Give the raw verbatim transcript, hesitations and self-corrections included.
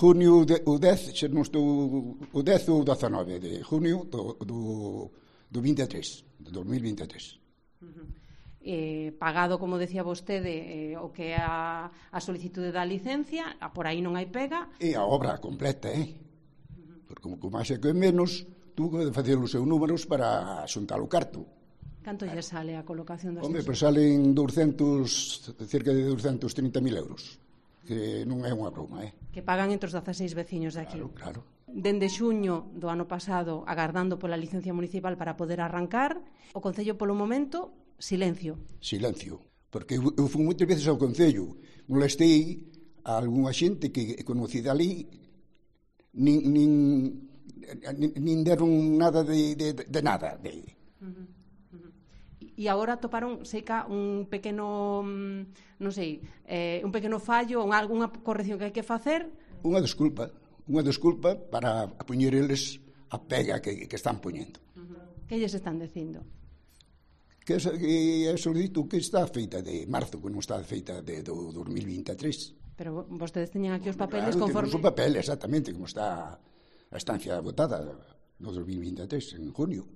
Junio, de, o dez, xa non estou, o dez ou dezanove de junio do, do, do vinte e tres, do dos mil vinte e tres. Uh-huh. Eh, pagado, como decía vostede, eh, o que é a, a solicitude da licencia, a por aí non hai pega. E a obra completa, eh? Uh-huh. Porque como, como máis é que menos, tuvo de facer os seus números para xuntar o carto. Canto lle sale a colocación das Home, pois salen doscientos, cerca de doscientos trinta mil euros, que non é unha broma, eh? Que pagan entre os dezaseis veciños de aquí. Claro, claro. Dende xuño do ano pasado, agardando pola licencia municipal para poder arrancar, o Concello polo momento, silencio. Silencio, porque eu, eu fui moitas veces ao Concello, molestei a algunha xente que conocí dali, nin, nin, nin deron nada de, de, de nada. De... Uh-huh. E agora toparon, sei que un pequeno, non sei, eh, un pequeno fallo, unha, unha corrección que hai que facer. Unha desculpa, unha desculpa para poñer eles a pega que, que están poñendo. Uh-huh. Que lles están dicindo? Que é solicito que está feita de marzo, que non está feita de, do dos mil vinte e tres. Pero vostedes teñen aquí os papeles claro, conforme... Claro, temos o papel, exactamente, como está a estancia votada no dos mil vinte e tres, en junio.